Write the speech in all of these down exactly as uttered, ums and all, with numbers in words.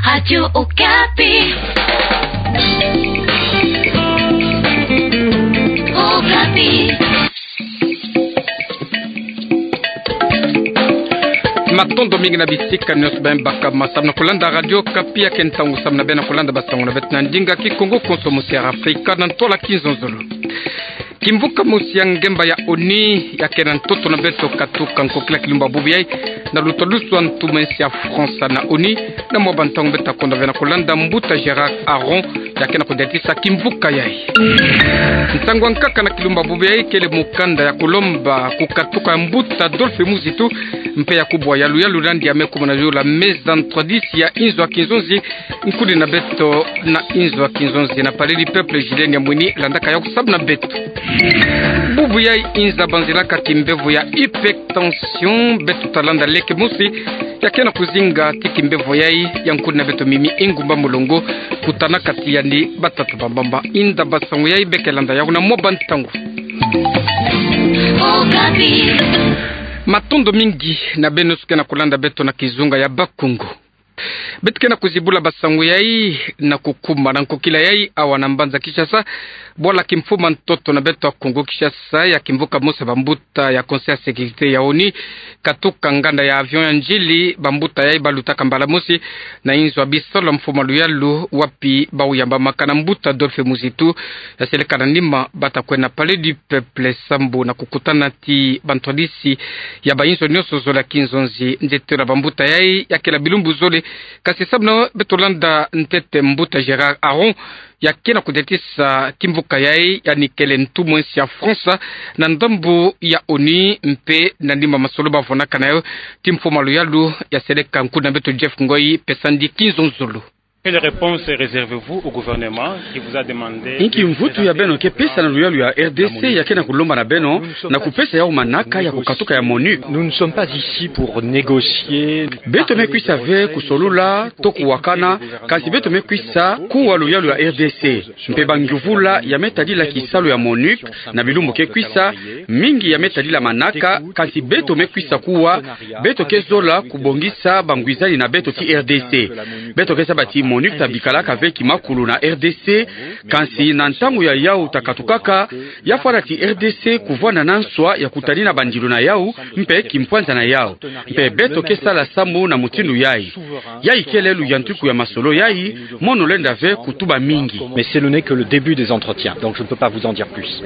Radio Okapi. Okapi. Matondo mingi na bisika nionso beno baka ma samna kulanda Radio Okapi. Ya ke ntangu samna beno kulanda basangu na beto na ndinga Kikongo konso musi ya Afrika na ntwala kizonzolo. Kimvuka mosi ya ngemba ya ONU ya ke na ntoto na beto katuka nkokila kilumbu bubu yai, na luta lusu a ntumwa nsi ya France na ONU, na mwa bantangu beto ta konda ve na kulanda mbuta Gérard Aaron ya ke na kudiatisa kimvuka yai. Ntangu ya nkaka na kilumbu bubu yai kele mukanda ya kulomba kukatuka ya mbuta Adolphe Muzitu, mpe ya kubwa yaluyalu nandi ya me kumana yola meza ntwadisi ya inzo ya kinzonzi, nkuni na beto na inzo ya kinzonzi na Palais du Peuple Julien Nyamwini landaka yawu samna beto. Bubu yai inza banzilaka kimbevo ya hypertension, beto ta landa leke mosi ya ke na kuzinga ti kimbevo yai ya nkuni na beto Mimi Engumba Mulongo, kutana kati yandi batata bambamba. Inda basangu yai beke landa yawu na mwa bantangu. Matondo mingi na beno nionso ke na kulanda beto na kizunga ya Bakongo. Beto ke na kuzibula basangu yai na kukuma na nkokila yai awa na mbanza Kinshasa, bwala kimfuma ntoto na beto ya Kongo Kinshasa ya kimvuka mosi ya bambuta ya Conseil ya Sécurité ya ONU katuka nganda ya avion ya nzili, bambuta yai balutaka mbala mosi na inzo ya bisalu ya mfumu a luyalu wapi bawu yambamaka na mbuta Adolphe Muzitu, ya seleka na nima bata kwenda Palais du Peuple sambu na kukutana ti bantwadisi ya bainzo nionso zole ya kinzonzi. Nzietelo ya bambuta yai ya kele ya bilumbu zole, kasi sambu na beto landa ntete mbuta Gérard Aaron ya ke na kudiatisa kimvuka yai, yandi kele ntumwa nsi ya France na ndambu ya ONU, mpe na nima masolo bavwanaka na yo ti mfumu a luyalu, ya seleka nkuni na beto Jeff Ngoi pesa ndi kinzonzolo. Quelle réponse réservez-vous au gouvernement qui vous a demandé... Inki mvutu ya beno ke pesa na luyalu ya RDC ya ke na kulomba na beno na kupesa yawu manaka ya kukatuka ya MONUC? Nous ne sommes pas ici pour négocier. Beto me kwisa ve kusolula to kuwakana, kasi beto me kwisa kuwa luyalu ya RDC. Mpe bangyuvula ya me tadila kisalu ya MONUC na bilumbu ke kwisa, mingi ya me tadila manaka, kasi beto me kwisa kuwa, beto ke zola kubongisa bangwizani na beto ti RDC. Beto ke zaba ti MONUC ta bikalaka ve kimakulu na RDC, kasi na ntangu ya yawu ta katukaka, ya fwana ti RDC kuvwanda na nswa ya kutanina bandilu na yawu, mpe kimpwanza na yawu. Mpe beto ke sala sambu na mutindu yai. Yai kele luyantiku ya masolo yai, mono lenda ve kutuba mingi. Mais ce n'est que le début des entretiens, donc je ne peux pas vous en dire plus.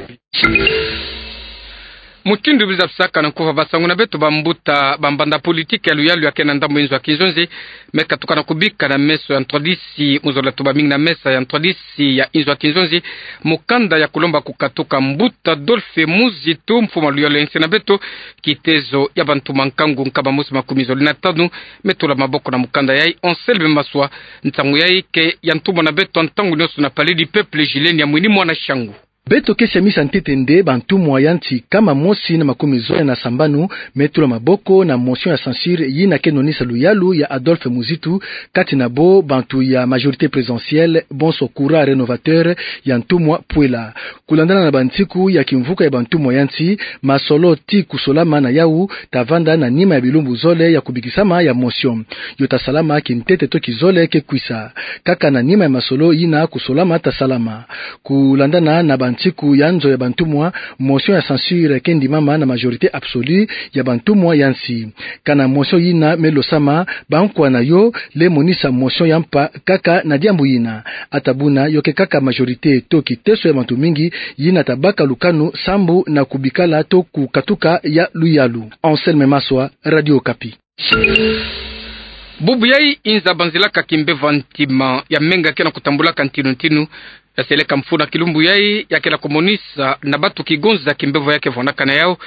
Mutindu bizabisaka na nkufa basangu na beto, bambuta bambanda politiki ya luyalu ya ke na ndambu inzo ya kinzonzi me katuka na kubika na meso ya ntwadisi, mu zola tuba mingi na mesa ya ntwadisi ya inzo ya kinzonzi, mukanda ya kulomba kukatuka mbuta Adolphe Muzitu, mfumu a luyalu ya nsi na beto, kitezo ya bantu ma nkangu nkama mosi makumi zole na tanu, me tula maboko na mukanda yai. Anselme Maswa, nsangu yai ke ya ntumwa na beto ntangu nionso na Palais du Peuple Julien Nyamwini, mwana shangu. Beto ke siamisa ntete nde bantumwa ya nsi nkama mosi na makumi zole na sambanu me tula maboko na motion ya censure yina ke nonisa luyalu ya Adolphe Muzitu, kati na bo bantu ya majorité présidentielle, bonso courant rénovateur ya ntumwa Pwela. Kulandana na bansiku ya kimvuka ya bantumwa ya nsi, masolo ti kusolama na yawu ta vanda na nima ya bilumbu zole ya kubikisama ya motion. Yo ta salama kintete to kizole ke kwisa. Kaka na nima ya masolo yina kusolama ta salama. Kulandana na bansiku ya nzo ya bantumwa, motion ya censure ke ndimama na majorité absolue ya bantumwa ya nsi. Kana motion yina me losama, bankwa na yo le monisa motion ya mpa kaka na diambu yina. Ata buna yo ke kaka majorité to kiteso ya bantu mingi yina ta baka lukanu sambu na kubikala to kukatuka ya luyalu. Anselme Maswa, Radio Okapi. Bubu yai inza banzilaka kimbevo ntima ya menga ke na kutambulaka ntinu ntinu, ya seleka mfunu a kilumbu yai ya ke na kumonisa na batu kigonza kimbevo ya ke vwanaka na yawu,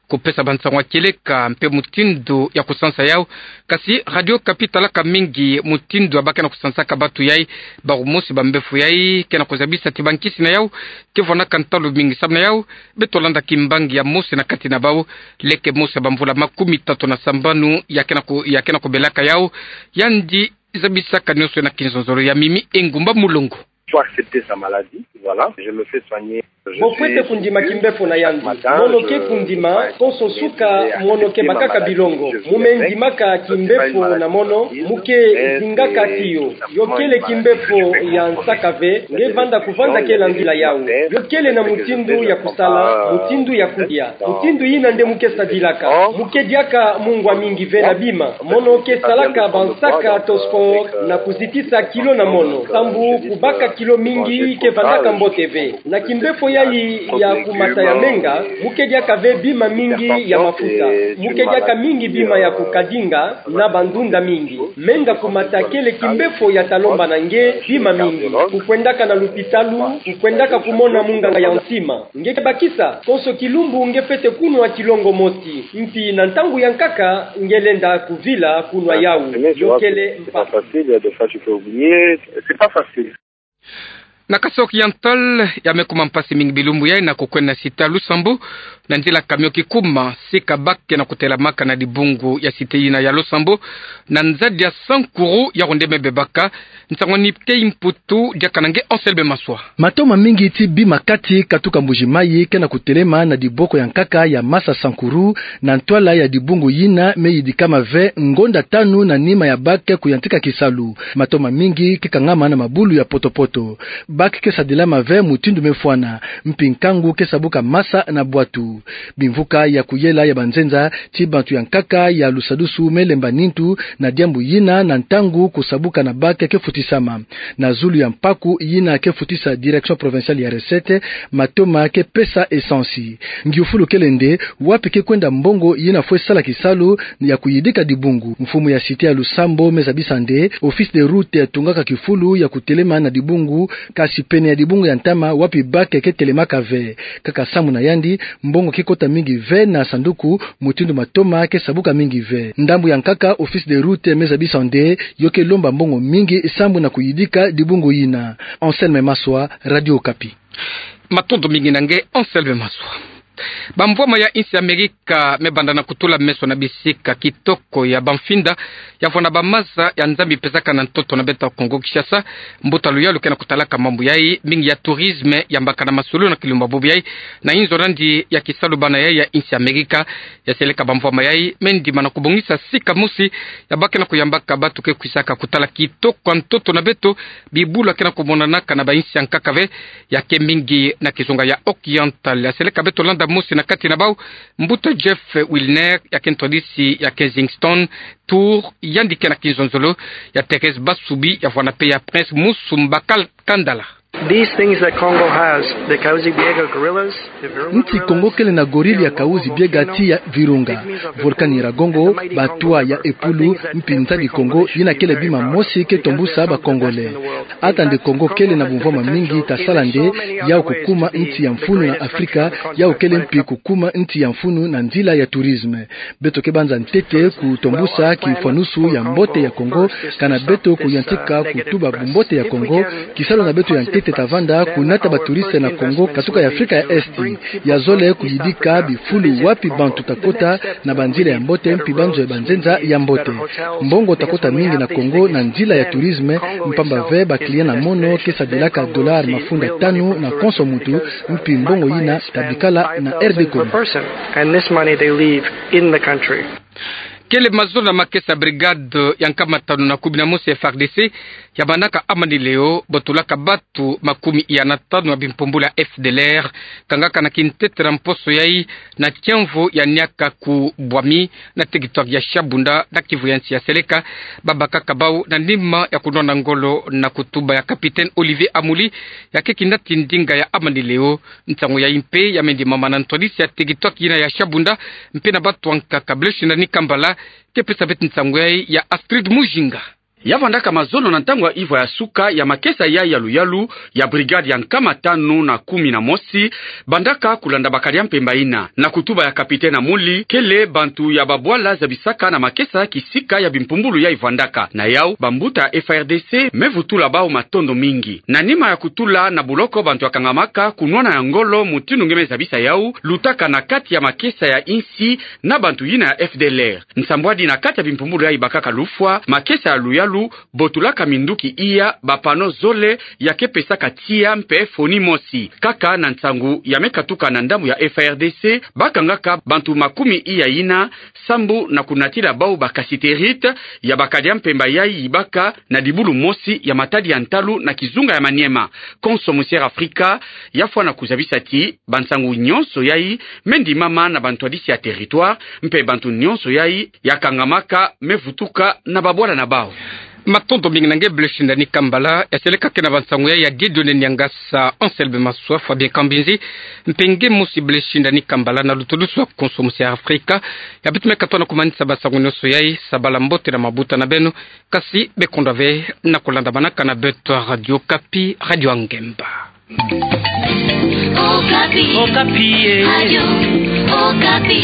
kupesa bansangu ya kieleka mpe mutindu ya kusansa yawu. Kasi Radio Okapi talaka mingi mutindu ya ba ke na kusansaka batu yai, bawu mosi bambevo yai ke na kuzabisa ti bankisi na yawu ke vwanaka ntalu mingi. Samu na yawu, beto landa kimbangi ya mosi na kati na bawu, leke mosi ya bamvula makumi tatu na sambanu ya ke na ku-, ya ke na kubelaka yawu, yandi zabisaka nionso na kinzonzolo ya Mimi Engumba Mulongo. Faut accepter sa maladie. Voilà, je me fais soigner. Bo fwete kundima kimbefo na yandi. Mono ke kundima, konso suka mono ke bakaka bilongo. Mu me ndimaka kimbefo na mono, mu ke zingaka tiyo. Yo kele kimbefo ya nsaka ve, nge vanda kuvanda kela nzila yawu. Yo kele na mutindu ya kusala, mutindu ya kudia. Mutindu yina nde mu ke sadilaka. Mu ke diaka mungwa mingi ve na bima. Mono ke salaka bansaka to sport na kuzitisa kilo na mono. Sambu kubaka kilo mingi ke vandaka mbote ve. Na kimbefo yayi ya kumata ya menga, mu ke diaka ve bima mingi ya mafuta. Mu ke diaka mingi bima ya kukadinga na bandunda mingi. Menga kumata kele kimbefo ya ta lomba na nge bima mingi. Kukwendaka na lupitalu, kukwendaka kumona munganga ya nsima. Nge ke bakisa, konso kilumbu nge fwete kunwa kilongo mosi. Mpi na ntangu ya nkaka, nge lenda kuvila kunwa yawu. Yo kele mpasi. Na Kasaï Oriental, ya me kuma mpasi mingi bilumbu yayi na kukwenda na site ya Losambo, na nzila camion kikuma, sika ba ke na kutelamaka na dibungu ya site yina ya Losambo, na nzadi ya Sankuru, yawu nde me bebaka. Nsangu ni tei mputu, diaka na nge Anselme Maswa. Matoma mingi ti bima kati katuka Mbuji-Mayi ke na kutelema na diboko ya nkaka ya Masa Sankuru, na ntwala ya dibungu yina me yidikama ve ngonda tanu na nima ya ba ke kuyantika kisalu. Matoma mingi ke kangama na mabulu ya poto-poto. Ba ke ke sadilama ve mutindu me fwana, mpi nkangu ke sabuka masa na bwatu. Bimvuka ya kuyela ya banzenza ti bantu ya nkaka ya Lusadusu me lemba nintu na diambu yina na ntangu kusabuka na ba ke ke futisama. Na zulu ya mpaku yina ke futisa Direction Provinciale ya Recettes, matoma ke pesa essence. Ngiufulu kele nde, wapi ke kwenda mbongo yina fwe sala kisalu ya kuyidika dibungu? Mfumu ya site ya Losambo me zabisa nde, Office des Routes tungaka kifulu ya kutelema na dibungu, kasi pene ya dibungu ya ntama wapi ba ke ke telemaka ve. Kaka sambu na yandi, mbongo ke kota mingi ve na sanduku, mutindu matoma ke sabuka mingi ve. Ndambu ya nkaka, Office des Routes me zabisa nde, yo ke lomba mbongo mingi sambu na kuyidika dibungu yina. Anselme Maswa, Radio Okapi. Matondo mingi na nge, Anselme Maswa. Bamvwama ya insi Amerika me banda na kutula meso na bisika kitoko ya bamfinda ya vwanda bamaza ya Nzambi pesaka na ntoto na beto ya Kongo Kinshasa. Mbuta luyalu ke na kutalaka mambu yayi, mingi ya tourisme yambaka na masulu na kilumba bobo yayi, na inzo nandi ya kisalu bana yayi ya insi Amerika. Ya seleka bamvwama yayi me ndima na kubongisa sika mosi ya ba ke na kuyambaka bato ke kwisaka kutala kitoko ya ntoto na beto, bibula ke na kumonanaka na bainsi ya nkaka ve, ya ke mingi na kizunga ya Oriental. Ya seleka beto landa mosi na kati na bau, Mbuta Jeff Wilner, ya ke ntwadisi ya Kensington Tour, yandi ke na kinzonzolo ya Thérèse Basubi, ya vwanda mpe ya Prince Musumba Kal-, Kandala. These things that Congo has, the Kahuzi-Biega gorillas, the Virunga gorillas, Nti Kongo kele na gorille ya Kahuzi-Biega ti ya Virunga, volcan Nyiragongo, batwa ya Epulu, mpi Nzadi Kongo, yina kele bima mosi ke tombusa ba Congolais. Ata nde Kongo kele na bumvwama mingi, tasala nde yau kukuma nti ya mfunu na Afrika, yau kele mpi kukuma nti ya mfunu na nzila ya tourisme. Beto ke banza ntete kutombusa kifwanusu ya mbote ya Kongo, kana beto kuyantika kutuba bumbote ya Kongo, kisalu na beto ya ntete ta vanda kunata ba touristes na Kongo katuka ya Afrika ya Est. Ya zole kuyidika bifulu wapi bantu ta kota na banzila ya mbote mpi banzo ya banzenza ya mbote. Mbongo ta kota mingi na Kongo na nzila ya tourisme, mpamba ve ba clients na mono ke sadilaka dollars mafunda tanu na konso muntu, mpi mbongo yina ta bikala na R D Congo. And this money they leave in the country. Kele mazono na makesa brigade ya nkama tanu na kumi na mosi F A R D C, ya bandaka Amani Leo, bo tulaka bato makumi ya na tanu ya bimpumbulu ya F D L R, kangaka na kintete na mposo yayi na tiamvo ya niaka ku Bwami, na territoire ya Shabunda, na Kivu ya nsi ya seleka, babakaka bau na nima ya kunwana ngolo na kutuba ya capitaine Olivier Amuli, ya ke kinati ndinga ya Amani Leo. Nsangu yayi mpe ya me ndimama na ntwadisi ya territoire yina ya Shabunda, mpe na bato ya nkaka. Blaise Nani Kambala ke pesa beto nsangu yayi, ya Astrid Mujinga. Ya vandaka mazono na ntangu ya ivwa ya suka ya makesa yayi ya luyalu ya brigade ya nkama tanu na kumi na mosi, bandaka kulanda bakadi ya mpemba yina. Na kutuba ya capitaine Amuli, kele bantu ya babwala zabisaka na makesa kisika ya bimpumbulu yayi vandaka. Na yau, bambuta ya F A R D C me vutula bau matondo mingi. Na nima ya kutula na buloko bantu ya kangamaka kunwana ya ngolo mutindu nge me zabisa yau, lutaka na kati ya makesa ya insi na bantu yina ya F D L R. Nsambwadi na kati ya bimpumbulu yayi bakaka lufwa, makesa ya luyalu botulaka minduki iya ba panneaux zole ya ke pesaka tiya mpe foni mosi. Kaka na nsangu ya me katuka na ndambu ya F A R D C, bakangaka bantu makumi iya ina sambu na kunatila bau ba cassiterite ya ba kadia mpemba yayi yibaka na dibulu mosi ya matadi ya ntalu na kizunga ya Maniema. Konso Musière Afrika yafwana kuzabisa ti bansangu nyonso yayi me ndimama na bantwadisi ya territoire, mpe bantu nyonso yayi yakangamaka me vutuka na babwala na bau. Matondo mingi na nge Blaise Shindani Kambala, ya seleka ke na bansangu yayi ya Dieudonné Niangasa, Anselme Maswa, Fabien Kambinzi, mpe nge mosi Blaise Shindani Kambala na luto dusu lwa Konso Musière Afrika. Ya beto me katoa na kumanisa bansangu nyonso yayi, sabala mbote na mabuta na beno, kasi bekondwa ve na kulandamanaka na beto Radio Okapi, radio ya ngemba. Okapi. Okapi, eh. Radio Okapi.